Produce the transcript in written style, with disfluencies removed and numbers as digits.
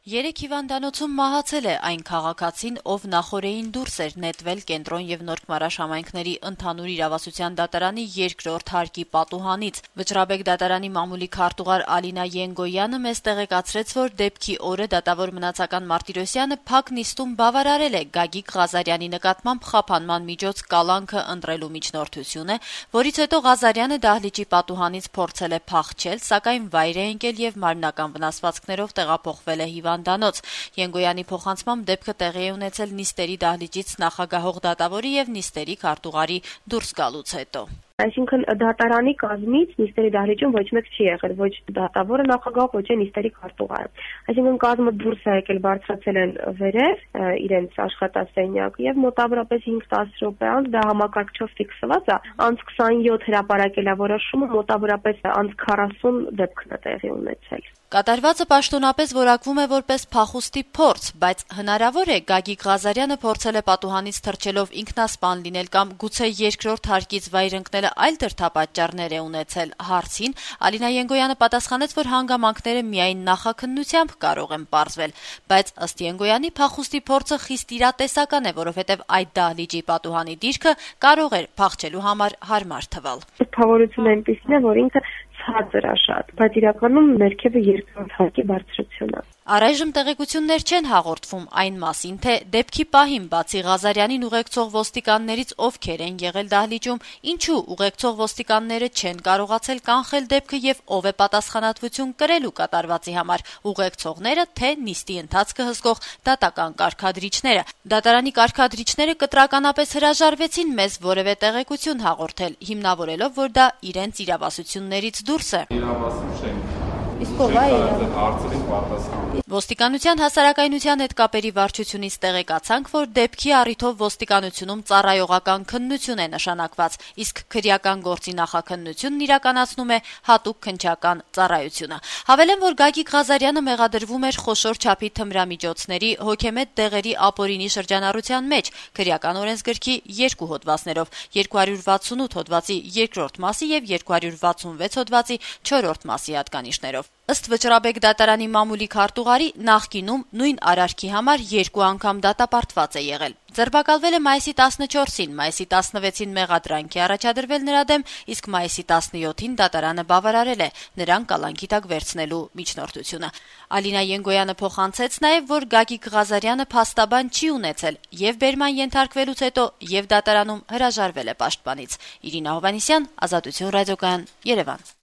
Երեք հիվանդանոցում մահացել է այն քաղաքացին, ով նախօրեին դուրս էր նետվել Կենտրոն եւ Նորք Մարաշ համայնքների ընդհանուր իրավասության դատարանի երկրորդ հարկի պատուհանից։ Վճռաբեկ դատարանի մամուլի քարտուղար Ալինա Ենգոյանը մեզ տեղեկացրեց, որ դեպքի օրը դատավոր մնացական Մարտիրոսյանը փակ նիստում բավարարել է Գագիկ Ղազարյանի նկատմամբ խափանման միջոց կալանքը ընտրելու միջնորդությունը, որից հետո Ղազարյանը դահլիճի պատուհանից փորձել է փախչել, սակայն վայր է ընկել եւ մարմնական վնասվածքներով տեղափոխվել է հիվանդանոց։ Ենգոյանի փոխանցմամբ դեպքը տեղի է ունեցել նիստերի դահլիճից նախագահող դատավորի եւ նիստերի քարտուղարի դուրս գալուց հետո։ Այսինքն դատարանի կազմից նիստերի դահլիճում ոչ մեկ չի եղել, ոչ դատավորը նախագահ, ոչ էլ նիստերի քարտուղարը։ Այսինքն կազմը դուրս է եկել, բարձրացել են վերև իրենց աշխատասենյակ եւ մոտավորապես 5-10 րոպե անց դա համակարգչով ֆիքսված է, անց 27 հրապարակել է որոշումը, մոտավորապես անց 40 դեպքն է տեղի ունեցել։ Կատարվածը պաշտոնապես որակվում է որպես փախուստի փորձ, բայց հնարավոր է Գագիկ Ղազարյանը փորձել է պատուհանից թռչելով ինքնասպան լինել կամ գուցե երկրորդ հարկից վայր ընկնելը այլ դրդապատճառներ է ունեցել հարցին, Ալինա Ենգոյանը պատասխանեց, որ հանգամանքները միայն նախաքննությամբ կարող են պարզվել, բայց ըստ Ենգոյանի փախուստի փորձը խիստ իրատեսական է, որովհետև այդ դահլիճի պատուհանի դիրքը կարող էր փախչելու համար հարմար թվալ։ Թվավորությունը այնպեսին է, որ ինքը ցածր է շատ, բայց իրականում ներքևը երկրորդ հարկի բարձրությունն է։ Առայժմ տեղեկություններ չեն հաղորդվում այն մասին, թե դեպքի պահին բացի Ղազարյանին ուղեկցող ոստիկաններից ովքեր են եղել դահլիճում, ինչու ուղեկցող ոստիկանները չեն կարողացել կանխել դեպքը եւ ով է պատասխանատվություն կրելու կատարվածի համար՝ ուղեկցողները, թե նիստի ընթացքը հսկող դատական կարգադրիչները։ Դատարանի կարգադրիչները կտրականապես հրաժարվեցին մեզ որևէ տեղեկություն հաղորդել, հիմնավորելով, որ դա իրենց իրավասություններից դուրս է։ Ոստիկանության հասարակայնության հետ կապերի վարչությունից տեղեկացանք, որ դեպքի առիթով ոստիկանությունում ծառայողական քննություն է նշանակված, իսկ քրեական գործի նախաքննությունն իրականացնում է հատուկ քննչական ծառայությունը։ Հավելեմ, որ Գագիկ Ղազարյանը մեղադրվում էր խոշոր չափի թմրամիջոցների հոգեմետ դեղերի ապօրինի շրջանառության մեջ քրեական օրենսգրքի 2 հոդվածներով՝ 268 հոդվածի 2-րդ մասի եւ 266 հոդվածի 4-րդ մասի հատկանիշներով։ Ըստ Վճռաբեկ դատարանի մամուլի քարտուղարի նախկինում նույն արարքի համար 2 անգամ դատապարտված է եղել։ Ձերբակալվել է մայիսի 14-ին, մայիսի 16-ին մեղադրանք է առաջադրվել նրա դեմ, իսկ մայիսի 17-ին դատարանը բավարարել է նրան կալանքի տակ վերցնելու միջնորդությունը։ Ալինա Ենգոյանը փոխանցեց նաև, որ Գագիկ Ղազարյանը փաստաբան չի ունեցել եւ բերման ենթարկվելուց հետո եւ դատարանում հրաժարվել է պաշտպանից։ Իրինա Հովհաննիսյան, Ազատություն ռադիոկայան, Երևան։